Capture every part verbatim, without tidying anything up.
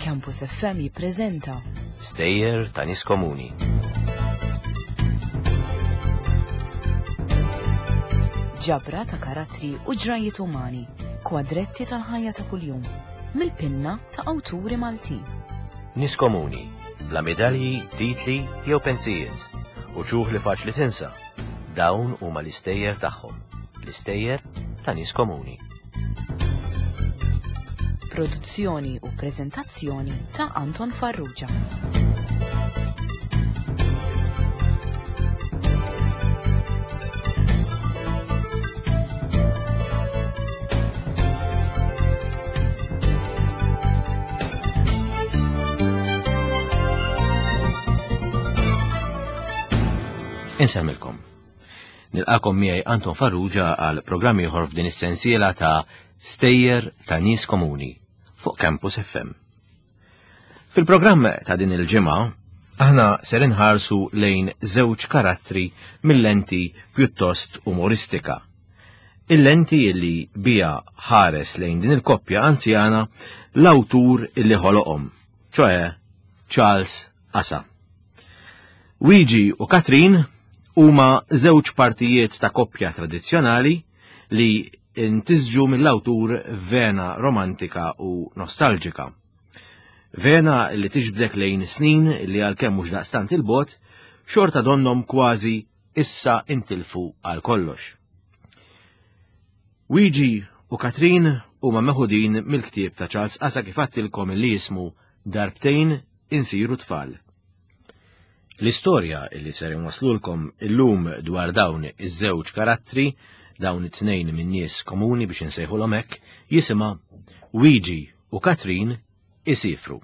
Campus F M jippreżenta Stejjer ta' nies komuni. Ġabra ta' karattri u ġrajiet umani, kwadretti tal-ħajja ta' kuljum, mill-pinna ta' awturi Maltin. Nies komuni, bla medalji, titli jew pensijiet, u ċuħ li faċli tinsa. Dawn huma l-istejjer tagħhom, l-istejjer ta' nies komuni. Produzzjoni u preżentazzjoni ta' Anton Farrugia. Insemmilkom. Nilqakom miegħi Anton Farrugia għal programm ieħor f'din is-sensiela ta' Stejjer ta' Nies Komuni fuq Campus F M. Fil-programm ta' din il-ġimgħa aħna ser inħarsu lejn żewġ karattri mill-lenti pjuttost umoristika. Il-lenti li bija ħares lejn din il-koppja anzjana l-awtur illi ħoloqhom, ċoe Charles Asa. Wiji u Katrin huma żewġ partijiet ta' koppja tradizzjonali li intisġu mill-awtur vena romantika u nostalġika. Vena li tiġbdek lejn snin li għalkemm mhux daqstant il-bot, xorta donnom kważi issa intilfu għal kollox. Wiji u Katrin huma meħudin mill-ktieb ta' Charles Asa kif għattilkom li jismu Darbtejn insiru tfal. L-istorja li ser inwaslulkom illum dwar dawn iż-żewġ karattri, dawn it-tnejn minn nies komuni biex insejħulhom hekk, jisimha Wiji u Katrin isifru.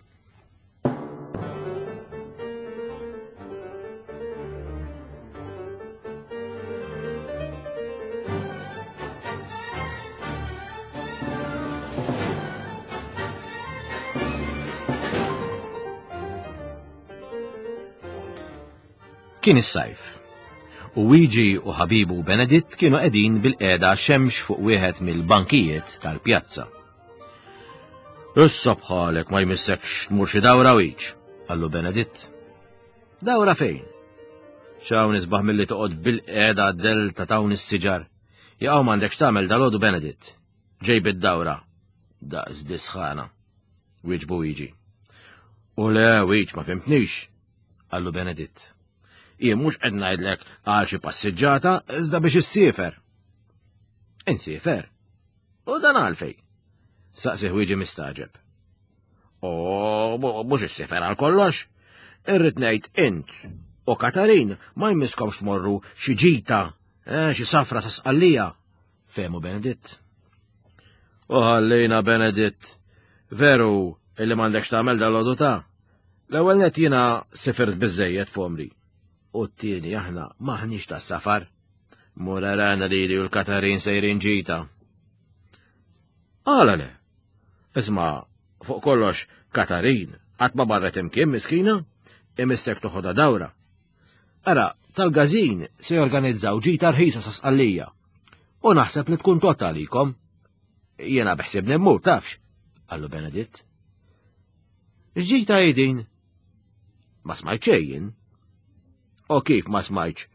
Kien is-sajf. U Wiji u ħabibu Beneditt kienu qegħdin bil-qiegħda xemx fuq wieħed mill-bankijiet tal-pjazza. Issa bħalek ma jmissekx tmur xi dawra wiċ, qallu Beneditt. Dawra fejn? X'hawn isbaħ milli toqgħod bil-qiegħda għad-del ta' dawn is-siġar. Jaqgħu m'għandekx tagħmel dalodu Beneditt. Ġej bid-dawra. Daqs disħana. Wieġbu Wiji. U le, Wiċ, ma fimtnix, qallu Beneditt. Jien mhux qed ngħidlek għal xi passiġġata iżda biex issiefer. Insiefer? U dan għalfej? Saqsih Wiji mistaġeb. O, mhux issiefer għal kollox. Irrid ngħid int u Katarin ma jmisskomx tmorru xi ġita, eh, xi safra sa Sqallija, fehmu Beneditt. U ħallejna Beneditt, veru illi m'għandekx tagħmel dal-għodu ta'. L-ewwel nett jiena sifirt biżżejjed f'għomri. U t-tieni aħna maħniex tas-safar. Mur arana lili u l-Katarin sejrin ġita. Għala le? Isma', fuq kollox Katarin, qatt ma barret imkien miskina, imissek toħodha dawra. Ara, tal-gazin se jorganizzaw ġita rħisa sa Sqallija. U naħseb li tkun totta għalikom. Jiena beħsibni mmur, tafx, qallu Beneditt. X'ġita hi din? Ma smajt xejn jien. O kif ma smajtx,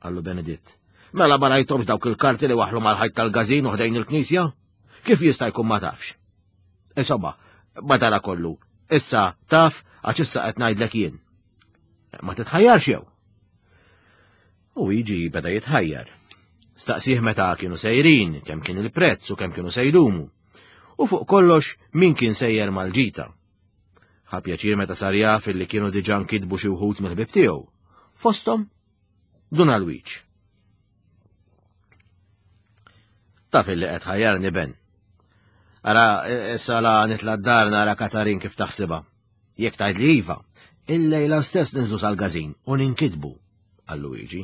qallu Beneditt. Mela ma rajthomx dawk il-karti li waħlu mal-ħajt tal-gazin u ħdejn il-knisja? Kif jista' jkun ma tafx? Insomma, madara kollu, issa taf għax issa qed ngħidlek jien. Ma titħajjarx jew? U jiġi beda jitħajjar. Staqsih meta kienu sejrin, kemm kien il-prezz u kemm kienu sejdumu. U fuq kollox min kien sejjer mal-ġita. Ħa pjaċir meta sar jaf illi kienu diġà nkitbu xi wħud mill-ħbieb tiegħu. Fosthom Dun Alwiċ. Taf illi qed ħajjarni Ben. Ara, issa la nitla' d-dar nara Katarin kif taħsibha. Jekk tgħid li iva, il-lejla stess ninżlu sal-gazin u ninkitbu, qal Luigi.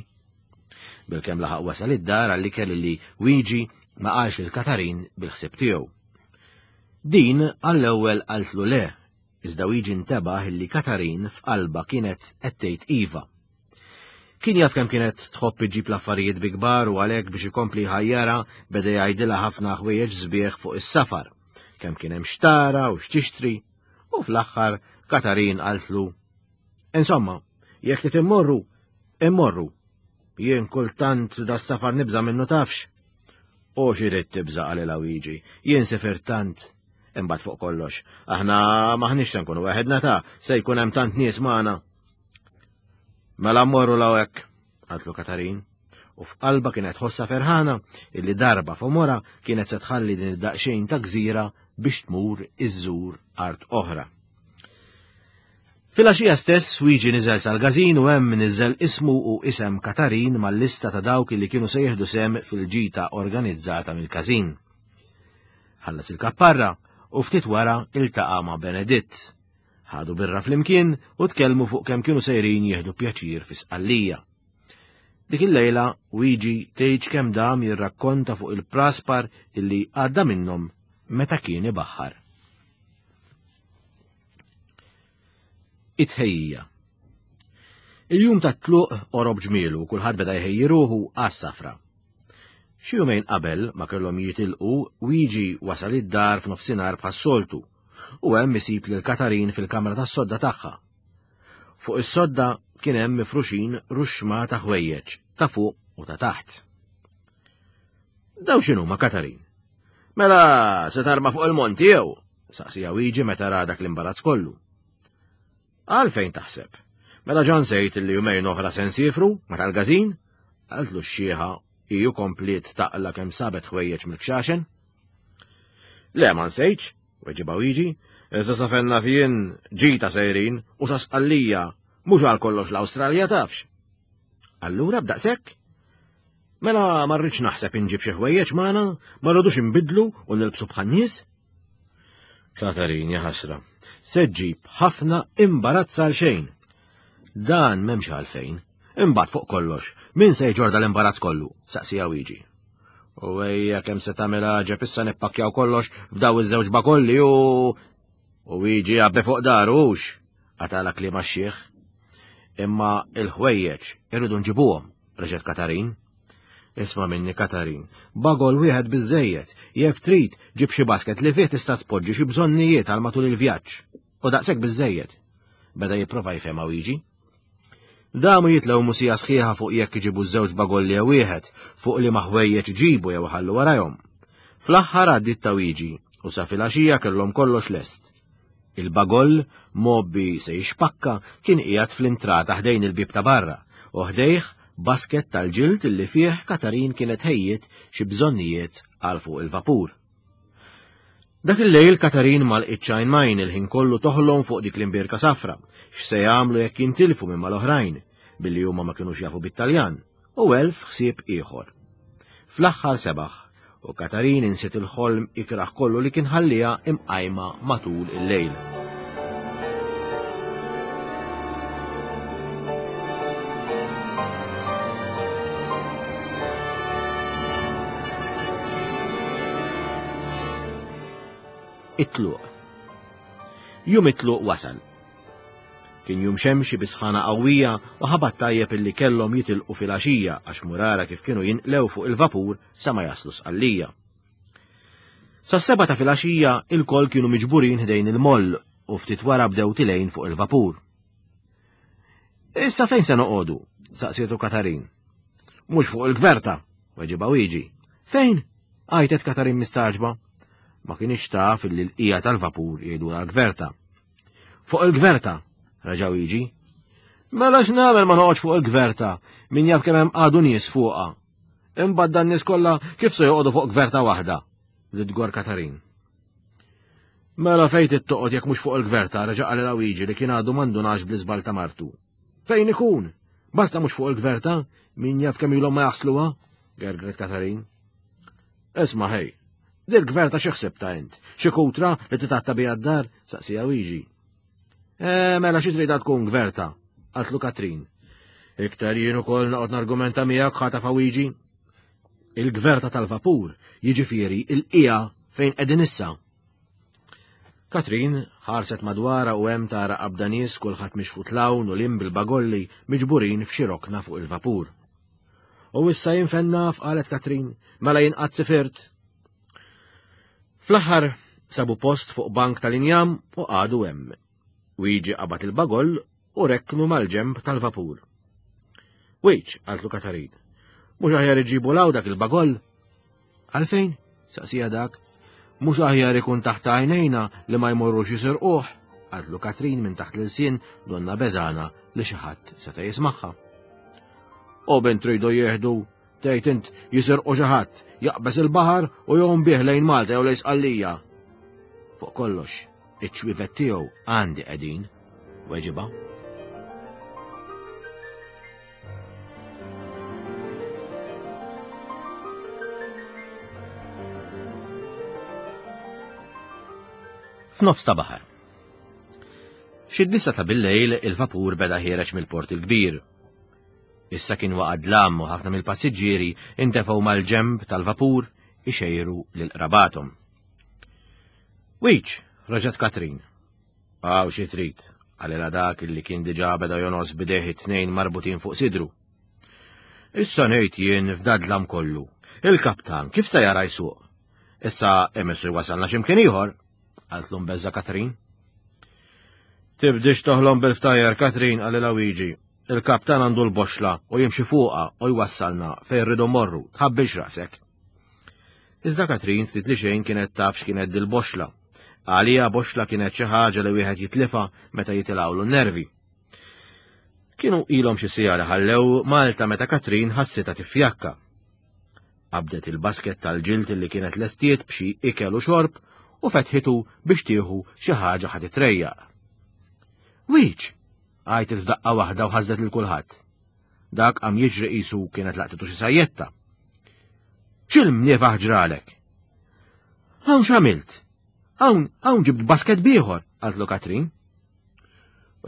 Bilkemm laħaq wasal id-dar għalli kelli li Wiji ma qalx lil Katarin bil-ħsieb tiegħu. Din għall-ewwel qaltlu le, iżda Wiji ntebaħ illi Katarin f'qalba kienet qed tgħid iva. Kien jaf kemm kienet tħobb iġġib l-affarijiet bi kbar u għalhekk biex ikompli jħajjarha beda jgħidilha ħafna ħwejjeġ sbieħ fuq is-safar, kemm kien hemm xtara u x'tixtri, u fl-aħħar Katarin qaltlu: "Insomma, jekk trid immorru, immorru. Jien kultant das-safar nibża' minnu tafx." "U x'irid tibża'," qalilha Wiġi, "jien sifirt tant." Imbagħad fuq kollox, aħna maħniex se nkunu weħedna ta' se jkun hemm tant nies magħna. "Mela mmorru 'l hekk," qaltlu Katarin, u f'qalba kienet ħossa ferħana illi darba f'għomorha kienet se tħalli din id-daqsxejn ta' gżira biex tmur iżżur art oħra. Filgħaxija stess Wiġi niżel sal-każin u hemm niżel ismu u isem Katarin mal-lista ta' dawk li kienu se jieħdu sehem fil-ġita organizzata mill-każin. Ħallas il-kapparra u ftit wara iltaqa' ma' Beneditt. Ħadu birra flimkien u tkellmu fuq kemm kienu sejrin jieħdu pjaċir fi Sqallija. Dik il-lejla Wiġi tgħidx kemm dam jirrakkonta fuq il-praspar illi għadda minnhom meta kien ibaħħar. It-tħejjija. Il-jum tat-tluq qorob ġmielu u kulħadd beda jħejji ruħu għas-safra. Xi jumejn qabel ma kellhom jitilqu, Wiġi wasal id-dar f'nofsinhar bħas-soltu u hemm isib lil Katarin fil-kamra tas-sodda tagħha. Fuq is-sodda kien hemm mifruxin ruxma ta' ħwejjeġ ta' fuq u ta' taħt. "Daw x'inhuma, Katarin? Mela se tarma fuq il-monti jew?" saqsija Wiġi meta ra dak l-imbarazz kollu. "Għalfejn taħseb? Mela ġan sejt li jumejn oħra se nsifru ma tal-każin?" qaltlu x-xieħa iju kompliet taqla kemm sabet ħwejjeġ mill-kxaxen. "Le ma nsejtx," weġibha Wiġi, "iżda sa fejn naf jien ġita sejrin u sa Sqallija, mhux għal kollox l-Awstralja tafx." "Allura b'daqshekk? Mela ma rridx naħseb inġib xi ħwejjeġ magħna, ma rridux inbidlu u nilbsu bħan-nies?" Katarin, ja ħasra, se ġġib ħafna imbarazz għal xejn. Dan m'hemmx għalfejn. Imbagħad fuq kollox, min se jġorda l-imbarazz kollu? Saqsija Wiġi. "U ejja kemm se tagħmel għaġeb issa nippakkjaw kollox f'daw iż-żewġ bakolli u U Wiġi għabbe fuq daru hux," qatala kliem għax-xiħ. "Imma il-ħwejjeġ irridu nġibuhom," reġgħet Katarin. "Isma' minni Katarin, bagol wieħed biżejjed, jekk trid ġib xi basket li fih tista' tpoġġi xi bżonnijiet għal matul il-vjaġġ. U daqshekk biżejjed." Beda jipprova jfehmha Wiġi. Damu jitlew musija sħiħa fuq jekk iġibu żewġ bagolli jew wieħed, fuq li ma ħwejjeġ ġibu jew ħallu warajhom. Fl-aħħar għaddiet ta' Wiġi u sa filgħaxija kellhom kollox lest. Il-bagoll mobbi se jixpakka kien qiegħed fl-intrata ħdejn il-bieb ta' barra u ħdejh basket tal-ġild illi fih Katarin kienet ħejjiet xi bżonnijiet għal fuq il-vapur. Dak il-lejl Katarin ma lqitx għajn majn il-ħin kollu toħlom fuq dik l-imbierka safra, x'se jagħmlu jekk jintilfu minn mal-oħrajn, billi huma ma kinux jafu bit-Taljan, u elf ħsieb ieħor. Fl-aħħar sebaħ, u Katarin insiet il-ħolm ikraħ kollu li kien ħallija imqajma matul il-lejl. It-tluq. Jum it-tluq wasal. Kien jum xemxi bi sħana qawwija u ħabat tajjeb illi kellhom jitilqu fil-għaxija għax murara kif kienu jinqlew fuq il-vapur sa ma jaslu Sqallija. Sas-seba ta' fil-għaxija il-koll kienu miġburin ħdejn il-moll u ftit wara bdew tilejn fuq il-vapur. "Issa fejn se noqogħdu?" saqsietu Katarin. "Mhux fuq il-gverta," weġibha Wiġi. "Fejn?" għajtet Katarin mistaġba. Ma kienx taf illi l-qija tal-vapur jgħidu l-gverta. "Fuq il-gverta," reġa' Wiġi. "Mela x'nagħmel ma noqgħodx fuq il-gverta, min jaf kemm hemm għadu nies fuqha. Imbagħad dan nies kollha kif se joqogħdu fuq gverta waħda?" li tgor Katarin. "Mela fejn trid toqgħod jekk mhux fuq il-gverta," reġa' qalilha Wiġi li kien għadu m'għandunax bl-iżbal ta' martu. "Fejn ikun? Basta mhux fuq il-gverta, min jaf kemm ilhom ma jaħsluha," gergret Katarin. "Isma' ħej, dil-gverta xi ħsibta int? Xi kutra li titatta biha d-dar?" saqsija Wiġi. "E, mela xi tridha tkun gverta?" qaltlu Katrin. "Iktar jien ukoll noqgħod nargumenta miegħek," ħatafa Wiġi. "Il-gverta tal-vapur, jiġifieri il-qija fejn qegħdin issa." Katrin Ħarset madwarha u hemm tara qabda nies kulħadd mixħut 'l hawn u 'l hinn bil-bagolli miġburin f'xi rokna fuq il-vapur. U issa jien fejn naf, qalet Katrin, mela jien qatt sifirt. Fl-aħħar sabu post fuq bank tal-injam u qagħdu hemm. Wiġi qabad il-bagoll u rekknu mal-ġemb tal-vapur. Wiċ, qaltlu Katarin, mhux aħjar iġibu 'l hawn dak il-bagoll? Għalfejn? Saqsija dak. Mhux aħjar ikun taħt għajnejna li ma jmorrux jisirquh, qaltlu Katrin minn taħt l-ilsien donna beżana li xi ħadd seta' jismagħha. U bint tridu jieħdu, tgħid int jisirqu xi ħadd, jaqbeż il-baħar u jgħum bih lejn Malta jew lejn Sqallija. Fuq kollox, iċ-ċwievet tiegħu għandi qegħdin, weġibha. F'nofs ta' baħar. F'xi disa ta' billejl il-vapur beda ħiereġ mill-port il-kbir. Issa kien waqa' dlam u ħafna mill-passiġġieri intefgħu mal-ġemb tal-vapur ixejru lil qrabathom. Wiċ, raġat Katrin. Għaw xi trid, qalilha dak li kien diġà beda jonos b'idejh it-tnejn marbutin fuq sidru. Issa ngħid jien f'dadlam kollu. Il-kaptan kif se jara jsuq? Issa emissu jwasalna x'imkien ieħor, qaltlu mbeżża' Katrin. Tibdix toħlom bil-ftajjar, Katrin, qalilha Wiġi. Il-kaptan għandu l-boxla u jimxi fuqha u jwassalna fejn rridu morru, tħabbilx rasek. Iżda Katrin ftit li xejn kienet taf x'kienet dil-boxla. Għalija boxla kienet xi ħaġa li wieħed jitlifa meta jitilgħulu n-nervi. Kienu ilhom xi siegħa li ħallew Malta meta Katrin ħassitha tifjakka. Qabdet il-basket tal-ġilt li kienet lestiet b'xi ikel u xorb u fetħitu biex tieħu xi ħaġa ħa titrejjaq. Wiċ! Għajtet f'daqqa waħda u ħażdet lil kulħadd. Dak qam jiġri qisu kienet laqtitu xi sajjetta. X'il-mniefaħ ġralek? Hawn x'għamilt? Hawn, hawn ġibt basket bieħor, qaltlu Katrin.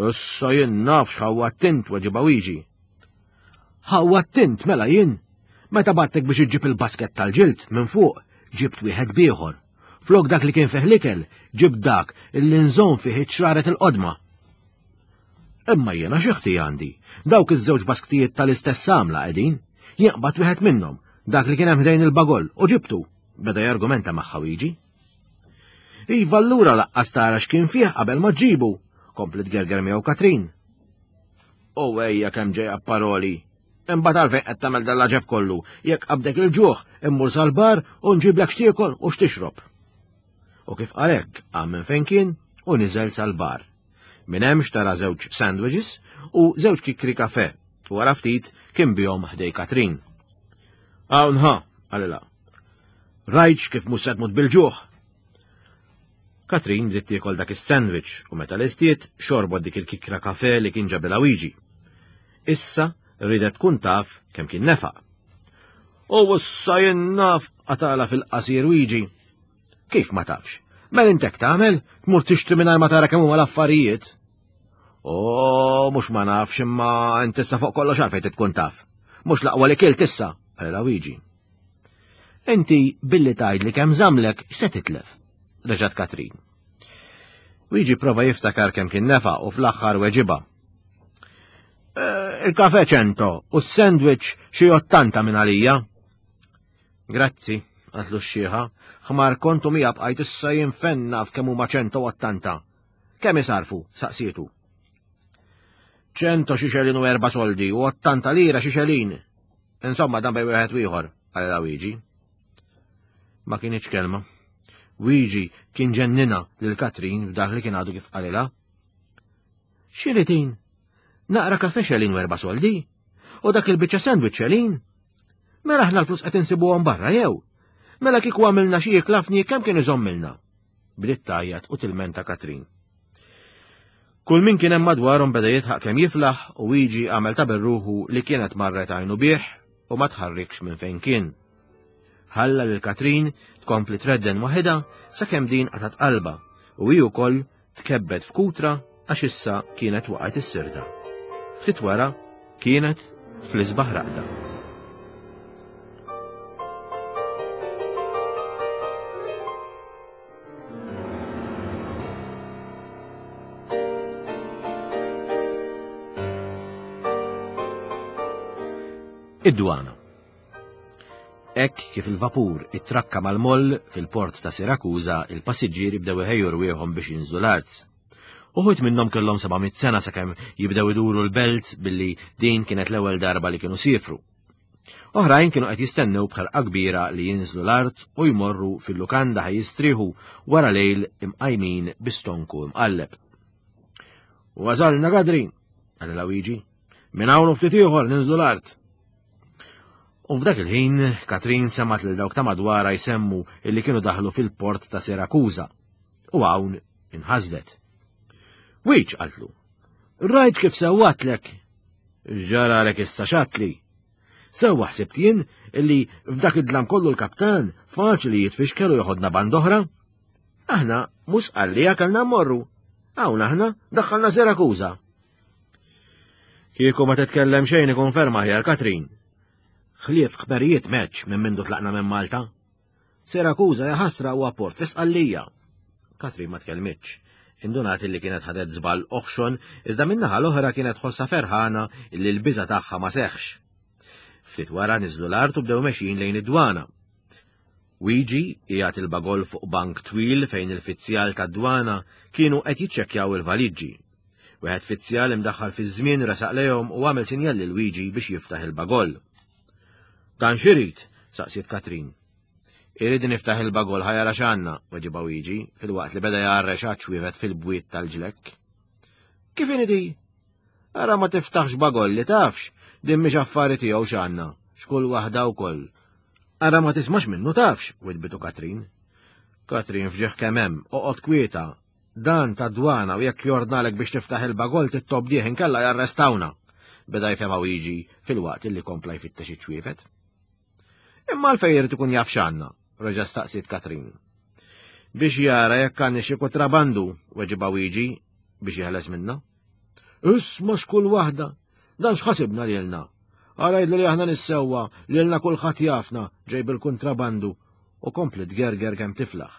Issa jien naf x'ħawwatt int, weġibha Wiġi. Ħawwatt int mela jien. Meta battek biex iġġib il-basket tal-ġild minn fuq, ġibt wieħed bieħor. Flok dak li kien fih l-ikel, ġibt dak illi nżomm fih iċ-ċraret il-qodma. Imma jiena xi ħti għandi, dawk iż-żewġ basktijiet tal-istess għamla qegħdin, jien qbadt wieħed minnhom, dak li kien hemm ħdejn il-bagoll, u ġibtu, beda jargumenta magħha Wiġi. Iva allura laqqas tara x'kien fih qabel ma ġġibu, komplet gerger miegħu Katrin. U ejja kemm ġejja paroli. Imbagħad għalfejn qed tagħmel dal-għaġeb kollu, jekk qabdek il-ġuħ, immur sal-bar u nġiblek x'tiekol u x'tixrob. U kif qalek, qam minn fejn kien u niżel sal-bar. Minn hemm xtara żewġ sandwiches u żewġ kikri kafe, u wara ftit kien bihom ħdej Katrin. Hawn ħa, qalilha. Rajtx kif mhux se tmut bil-ġuħ. Katrin bdiet tiekol dak is-sandwich u meta lestiet xorbot dik il-kikra kafe li kien ġabilha Wiġi. Issa ridet tkun taf kemm kien nefaq. U issa jien naf, qatala fil-qasir Wiġi. Kif ma tafx? Mela intek tagħmel, tmur tixtri mingħajr ma tara kemm huma l-affarijiet. O, mhux ma nafx imma int issa fuq kollox għalfejn tkun taf. Mhux l-aqwa li kilt issa, qalilha Wiġi. Inti billi tgħidli kemm żamlek x'se titlef? Reġgħet Katrin. Wiġi prova jiftakar kemm kien nefaq u fl-aħħar weġibha. Eh, il-kafe ċento u s-sandwich xi ottanta minn għalija. Grazzi, qaltlu x-xieħa, ħmar kontu mija bqajt issa jinfenna f'kemm huma ċento ottanta. Kemm isarfu? Saqsietu. Ċento xi xelin u erba' soldi u ottanta lira xi xelin. Insomma, dan bej wieħed u ieħor, qalilha Wiġi. Ma kienx kelma. Wiġi kien ġennina lil Katrin b'dak li kien għadu kif qalilha. X'iritin? Naqra kafe xelin u erba' soldi? U dak il-biċċa sandwich xelin? Mela aħna l-flus qed insibuhom barra jew? Mela kieku għamilna xi ikla fni kemm kien iżommilna? Bdiet tgħajjat u tilmenta Katrin. Kull min kien hemm madwarhom beda jidħaq kemm jiflaħ u Wiġi għamel ta' berruħu li kienet marret għajnu bih u ma tħarrikx minn fejn kien. Ħalla lil Katrin tkompli tredden waħedha sakemm din qatat qalbha u hi wkoll tkebbet f'kutra għax issa kienet waqgħet is-sirda. Ftit wara kienet fl-isbaħ raqda. Id-dwana. Hekk kif il-vapur ittrakka mal-moll fil-port ta' Sirakuża, il-passiġġieri bdew iħejju rwieħhom biex jinżlu l-art. Uħud minnhom kellhom seba' mitt sena sakemm jibdew iduru l-belt billi din kienet l-ewwel darba li kienu siefru. Oħrajn kienu qed jistennew b'ħerqa kbira li jinżlu l-art u jmorru fil-lukanda ħa jistrieħu wara lejl imqajmin bi stonku imqalleb. Wasalna Katrin, qalilha Wiġi, minn hawn u ftit ieħor ninżlu l-art. U f'dak il-ħin, Katrin semgħet lil dawk ta' madwarha jsemmu illi kienu daħlu fil-port ta' Sirakuża. U hawn inħasdet. Wiġ, qaltlu, rajt kif sewwatlek. Ġaralek issa xatli. Sewwa ħsibt jien illi f'dak id-dlam kollu l-kaptan faċli jitfixkel u joħodna band oħra. Aħna mhux Sqallija kellna mmorru. Hawn aħna daħħalna Sirakuża. Kieku ma titkellem xejn ikun ferm aħjar, Katrin. Ħlief ħberijiet meċ minn mindu tlaqna minn Malta. Sirakuża ja ħasra huwa port fi Sqallija. Katrin ma tkellmitx. Indunat illi kienet ħadet żball oħxon, iżda min-naħa l-oħra kienet tħossha ferħana illi l-biża tagħha ma seħħx. Ftit wara niżlu l-art u bdew mexjin lejn id-dwana. Wiġi qiegħed il-bagol fuq bank twil fejn il-fizzjal tad-dwana kienu qed jiċċekkjaw il-valiġġi. Wieħed fizzjal imdaħħal fiż-żmien resaq lejhom u għamel sinjal lil Wiġi biex jiftaħ il-bagol. Dan x'irid? Saqsiet Katrin. Irid niftaħ il-bagol ħa jara x'għandna, weġibha Wiġi, filwaqt li beda jgħarrex għaċ-ċwievet fil-bwiet tal-ġlekk. Kif inhi di? Ara ma tiftaħx bagol li tafx, din mhix affari tiegħu x'għandna, x'kull waħda wkoll. Ara ma tismax minnu tafx, widbitu Katrin. Katrin fġieħ kemm hemm, oqgħod kwieta. Dan ta' dwana u jekk jordnalek biex tiftaħ il-bagol tittobdih inkella jarrestawna. Beda jfehmha Wiġi filwaqt illi kompla jfittex iċ-ċwievet. Imma għalfejn irid ikun jaf x'għandna, reġa' staqsiet Katrin. Biex jara jekk għandna xi kontrabandu, weġibha Wiġi biex jeħles minna. Isma' x'kull waħda, dan x'ħasibna lilna. Ara jidlu li aħna nissewwa, lilna kulħadd jafna ġej bil-kontrabandu u kompli tgerger kemm tiflaħ.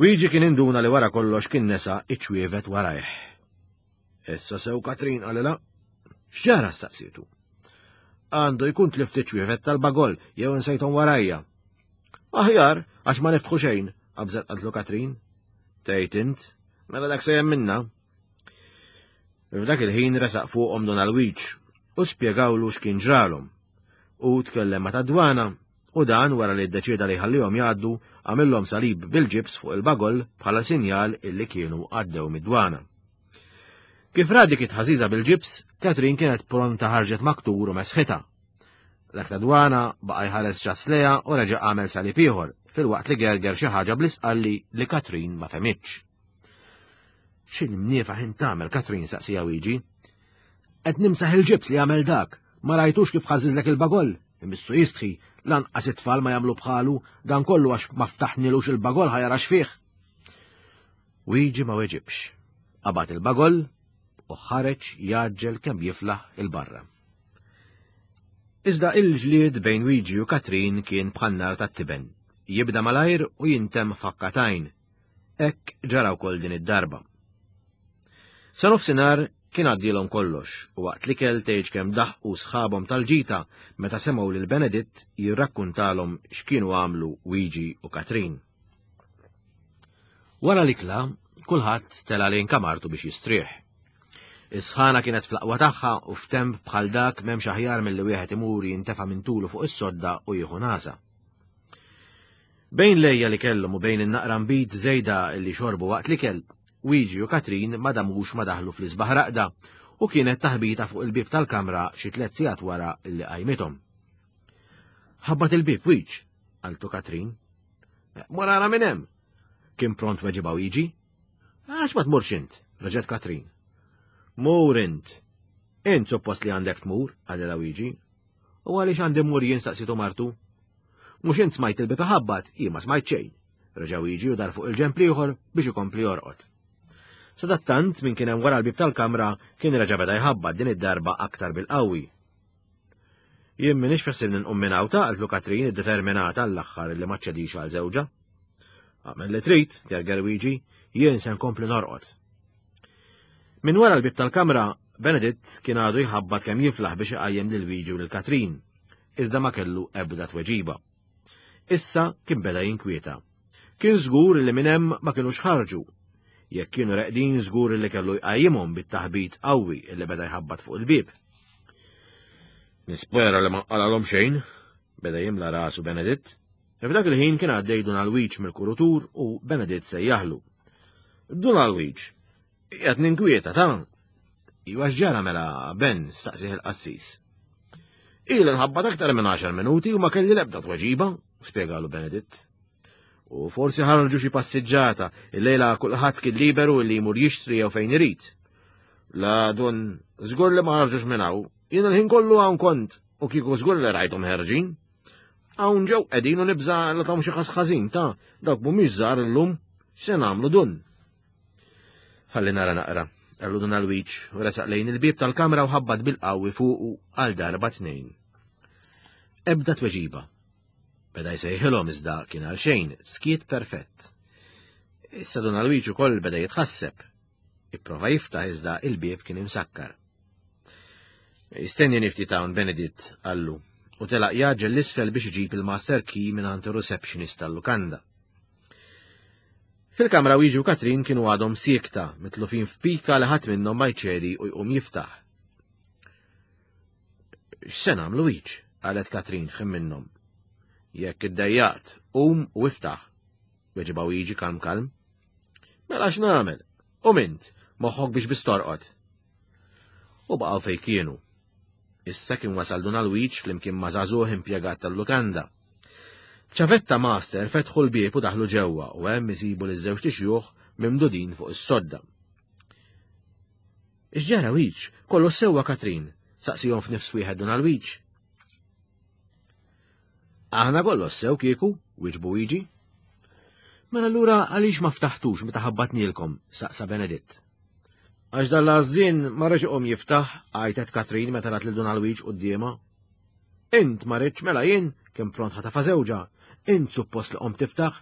Wiġi kien induna li wara kollox kien nesa iċ-ċwievet warajh. Issa sew Katrin qalilha. X'ġara staqsietu? Għandu jkun tlift iċ-ċwievet tal-bagol jew insejthom warajja. Aħjar, għax ma niftħu xejn, qabżet qaltlu Katrin. Tgħid int, mela dak sejjem minna. F'dak il-ħin resaq fuqhom Don Alwiġ u spjegawlu x'kien ġralhom. U tkellem ma' tad-dwana u dan wara li ddeċieda li jħallihom jgħaddu għamillhom salib bil-ġibs fuq il-bagol bħala sinjal illi kienu għaddew mid-dwana. Kif ra dik it-ħażiża bil-ġibs, Katrin kienet pronta ħarġet maktur u mesħita. Dak ta' dwana baqa' jħares ċass lejha u reġa' għamel salib ieħor filwaqt li gerger xi ħaġa bl-isqalli li Katrin ma fehmitx. X'il-mniefa ħin tagħmel Katrin saqsija Wiġi? Qed nimsaħ il-ġibs li għamel dak, ma rajtux kif ħażiżlek il-bagol, imissu jistħi, lanqas it-tfal ma jagħmlu bħalu, dan kollu għax ma ftaħnilux il-bagol ħa jara x'fih. Wiġi ma weġibx. Qabad il-bagol u ħareġ jaġġel kemm jiflaħ il-barra. Iżda il-ġlied bejn Wiġi u Katrin kien bħan-nar tat-tiben, jibda malajr u jintemm f'ħakkatajn. Hekk ġara wkoll din id-darba. Sa nofsinhar kien għaddielhom kollox u waqt l-ikel tgħidx kemm daħqu sħabhom tal-ġita meta semgħu lil Beneditt jirrakkuntalhom x'kienu għamlu Wiġi u Katrin. Wara l-ikla, kulħadd tela' lejn kamartu biex jistrieħ. Is-sħana kienet fl-aqwa tagħha u f'temp bħal dak m'hemmx aħjar milli wieħed imur jintefa' minn tulu fuq is-sodda u jieħu nasa. Bejn lejja li kellhom u bejn in-naqra nbid żejda li xorbu waqt l-ikel, Wiġi u Katrin ma damux ma daħlu fl-isbaħ raqda u kienet taħbita fuq il-bieb tal-kamra xi tliet sigħat wara li qajmithom. Ħabbat il-bieb Wiġ, qaltu Katrin. Mur ara minn hemm. Kien pront weġibha Wiġi. Għax ma tmurx int, reġgħet Katrin. Mur int. Int suppost li għandek tmur, qalilha Wiġi. U għaliex għandi mmur jien staqsitu martu? Mhux int smajt il-bieb iħabbat, jien ma smajt xejn. Reġa' Wiġi u dar fuq il-ġenb l-ieħor biex ikompli jorqod. Sadattant min kien hemm wara l-bieb tal-kamra kien reġa' beda jħabbat din id-darba aktar bil-qawwi. Jien m'iniex fi ħsiebni nqum minn hawn ta' qaltlu Katrin iddeterminata għall-aħħar li ma ċċedix għal żewġha. Agħmel li trid, gerger Wiġi, jien se nkompli norqod. Min wara l-bieb tal-kamra Beneditt kien għadu jħabbat kemm jiflaħ biex iqajjem lil Wiġi u lil Katrin, iżda ma kellu ebda tweġiba. Issa kien beda jinkwieta. Kien żgur li minn hemm ma kinux ħarġu. Jekk kienu reqdin żgur li kellu jqajjimhom bit-taħbit qawwi li beda jħabbat fuq il-bieb. Nispera li ma qalgħalhom xejn, beda jimla rasu Beneditt. F'dak il-ħin kien għaddej Dun Alwiġ mill-kurutur u Beneditt sejjaħlu. Dun Alwiġ, qiegħed ninkwieta ta' Iwa x'ġara mela Ben, staqsih il-qassis. Ili nħabbat aktar minn għaxar minuti u ma kelli l-ebda tweġiba, spjegalu Beneditt. U forsi ħarġu xi passiġġata, illejla kulħadd kien liberu li jmur jixtri jew fejn irid. La dun, żgur li ma ħarġux minn hawn, jien il-ħin kollu hawn kont u kieku żgur li rajthom ħerġin. Hawn ġew qegħdin u nibża' li tahom xi ħas ħażin ta' dawk mhumiex żgħar illum, x'se nagħmlu dun? Ħalli nara naqra, qallu Dun Alwiġ u resaq lejn il-bieb tal-kamra u ħabbat bil-qawwi fuqu għal darba tnejn. Ebda tweġiba. Beda jsejħilhom iżda kien għal xejn, skiet perfett. Issa Dun Alwiġ ukoll beda jitħasseb. Ipprova jiftaħ iżda il-bieb kien imsakkar. Istenni nifti hawn Beneditt, qallu, u telaq jaġġel l-isfel biex iġib il-master key mingħand ir-receptionist tal-lukanda. Fil-kamra Wiġi u Katrin kienu għadhom siekta, mitlufin f'pika li ħadd minnhom ma jċedi u jqum jiftaħ. X'se nagħmlu Wiġ? Qalet Katrin f'ħin minnhom. Jekk iddejjaqt, qum u iftaħ, weġibha Wiġi kalm kalm. Mela x'nagħmel? U mint, moħħok biex biss torqod. U baqgħu fejn kienu. Issa kien wasal Dun Alwiġ flimkien ma' żagħżugħ impjegat tal-lukanda. Ċavetta master fetħu l-bieb u daħlu ġewwa u hemm isibu liż-żewġ tixjuħ mimdudin fuq is-sodda. X'ġara Wiġ? Kollu sewwa Katrin, saqsihom f'nifs wieħed Dun Alwiġ. Aħna kollu sew kieku, wieġbu Wiġi. Mela allura għaliex ma ftaħtux meta ħabbatnielkom, saqsa Beneditt. Għax dan l-għażżien ma reġ iqum jiftaħ, għajtet Katrin meta rat lil Dun Alwiġ quddiemha. Int ma ridx mela jien, kien pront ħatafa żewġha, int suppost li qomt tiftaħ.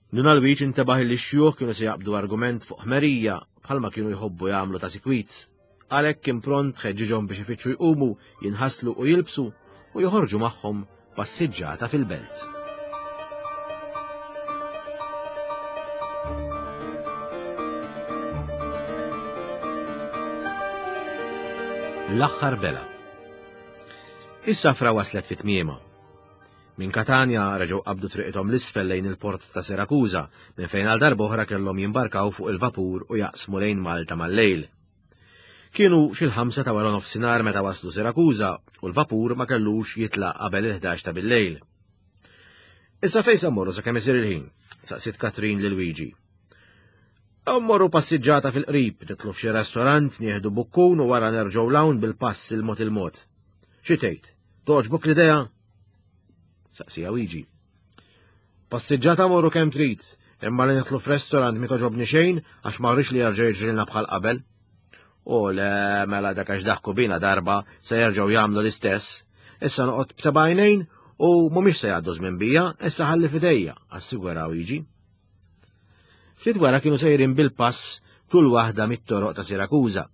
Dun Alwiġ intebaħ li x-xjuħ kienu se jaqbdu argument fuq ħmerija bħalma kienu jħobbu jagħmlu ta' sikwit. Għalhekk kien pront ħeġġiġhom biex ifittxu jqumu, jinħaslu u jilbsu u joħorġu magħhom passiġġata fil-belt. L-aħħar bela. Is-safra waslet fit tmiema. Minn Katanja reġgħu qabdu triqithom l-isfel lejn il-port ta' Sirakuża, minn fejn għal darba oħra kellhom jimbarkaw fuq il-vapur u jaqsmu lejn Malta mal-lejl. Kienu xi l-ħamsa ta' wara nofsinhar meta waslu Sirakuża u l-vapur ma kellux jitlaq qabel il-ħdax ta' bil-lejl. Issa fejn se mmorru sakemm isir il-ħin? Saqsiet Katrin lil Wiġi. Mmorru passiġġata fil-qrib, nitlu f'xi restorant, nieħdu bukkun u wara nerġgħu l-hawn bil-pass il-mod il-mod. Xi tgħid? Togħġbok l-idea? Saqsija Wiġi. Passiġġata morru kemm trid, imma li nidħlu f'restorant mi toġobni xejn għax ma rridx li jerġa' jiġrilna bħal qabel. U le mela dak għax daħku bina darba se jerġgħu jagħmlu l-istess. Issa noqgħod b'seba' għajnejn u mhumiex se jgħaddu żmien bija, issa ħalli f'idejja, assigura Wiġi. Ftit wara kienu sejrin bil-pass kull waħda mit-toroq ta' Sirakuża.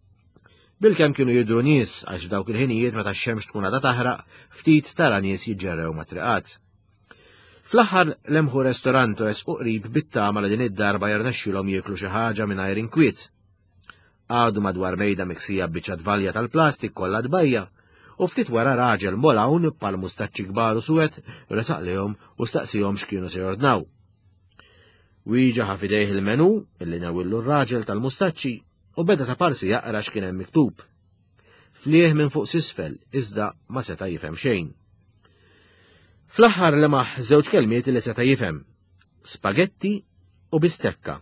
Bilkemm kienu jidhru nies għax f'dawk il-ħinijiet meta x-xemx tkun għadha taħraq, ftit tara nies jiġġerrew ma' triqat. Fl-aħħar lemħu restorant u resqu qrib bit-tama li din id-darba jirnexxilhom jieklu xi ħaġa mingħajr inkwiet. Għadu madwar mejda miksija b'biċċa tvalja tal-plastik kollha tbajja, u ftit wara raġel molawn bħal mustaċċi kbar u suwed resaq lejhom u staqsihom x'kienu se jordnaw. Wiġa ħa f'idejh il-menu illi nawillu r-raġel tal-mustaċċi u beda ta' parsi jaqra x'kien hemm miktub. Flieħ minn fuq s'isfel iżda ma seta' jifhem xejn. Fl-aħħar lemaħ żewġ kelmiet li seta' jifhem: spagetti u bistekka.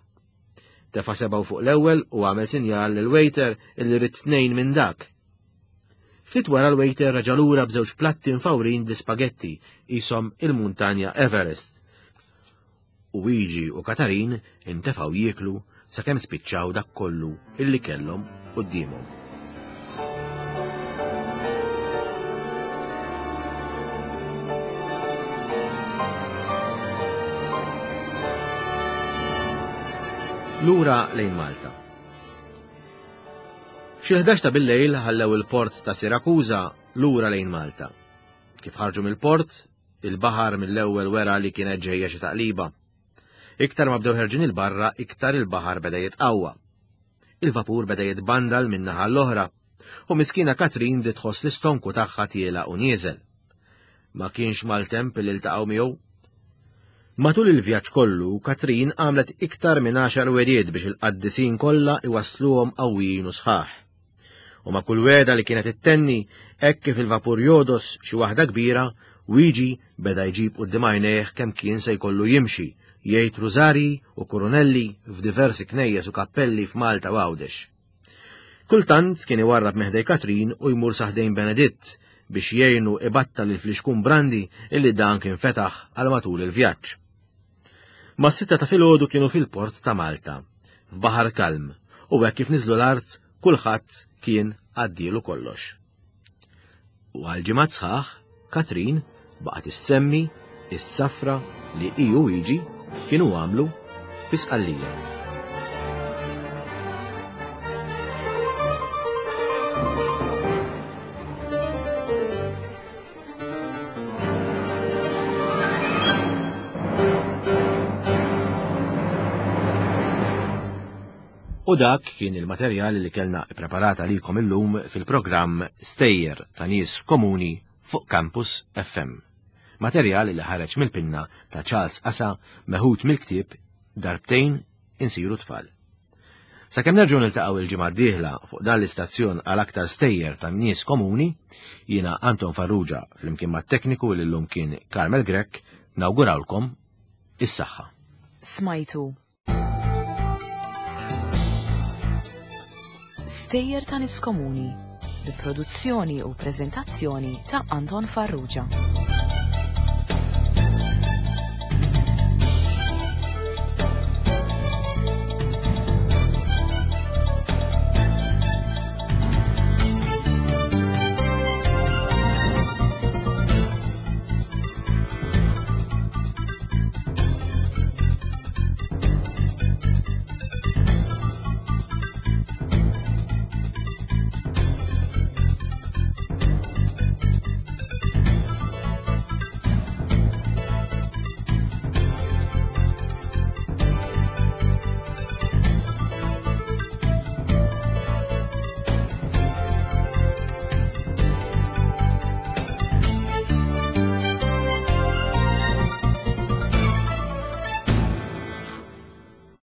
Tefa' sebgħu fuq l-ewwel u għamel sinjal lil waiter illi rid tnejn minn dak. Ftit wara l-waiter reġa' lura b'żewġ platti mfawrin bl-ispagetti qishom il-muntanja Everest. U Wiġi u Katarin intefgħu jieklu sakemm spiċċaw dak kollu illi kellhom quddiemhom. Lura lejn Malta. F'xi ħdax ta' bil-lejl ħallew il-port ta' Sirakuża lura lejn Malta. Kif ħarġu mill-port, il-baħar mill-ewwel wera li kienet ġejja xi taqliba. Iktar ma bdew ħerġin il-barra, iktar il-baħar beda jitqawwa. Il-vapur beda jitbandal minn naħa l-oħra, u miskina Katrin bdiet tħoss l-istonku tagħha tiela u nieżel. Ma kienx maltemp li ltaqgħu miegħu. Matul il-vjaġġ kollu, Katrin għamlet iktar minn għaxar wediet biex il-qaddisin kollha iwassluhom qawwijin u sħaħ. U ma' kull weda li kienet ittenni, hekk kif il-vapur jodos xi waħda kbira, Wiġi beda jġib quddiem għajnejh kemm kien se jkollu jimxi, jgħid rużarji u kurunelli f'diversi knejjes u kappelli f'Malta u Għawdex. Kultant kien iwarrab minn ħdej Katrin u jmur sa ħdejn Beneditt biex jgħinu ibattal il-flixkun brandi illi dan kien fetaħ għal matul il-vjaġġ. Mas-sitta ta' filgħodu kienu fil-port ta' Malta, f'baħar kalm, u hekk kif niżlu l-art kulħadd kien għaddielu kollox. U għal ġimgħat sħaħ, Katrin baqgħet issemmi is-safra li hi u Wiġi kienu għamlu fi Sqallija. U dak kien il-materjal li kellna ippreparat għalikom illum fil-programm Stejjer ta' Nies Komuni fuq Campus F M. Materjal li ħareġ mill-pinna ta' Charles Asa meħud mill-ktieb Darbtejn Insiru Tfal. Sakemm nerġgħu niltaqgħu il-ġimgħa d-dieħla fuq dan l-istazzjon għal aktar stejjer ta' nies komuni, jiena Anton Farrugia flimkien mat-tekniku li llum kien Carmel Grech, nawgurawlkom is-saħħa. Smajtu Stejjer ta' Nies Komuni, bi produzzjoni u preżentazzjoni ta' Anton Farrugia.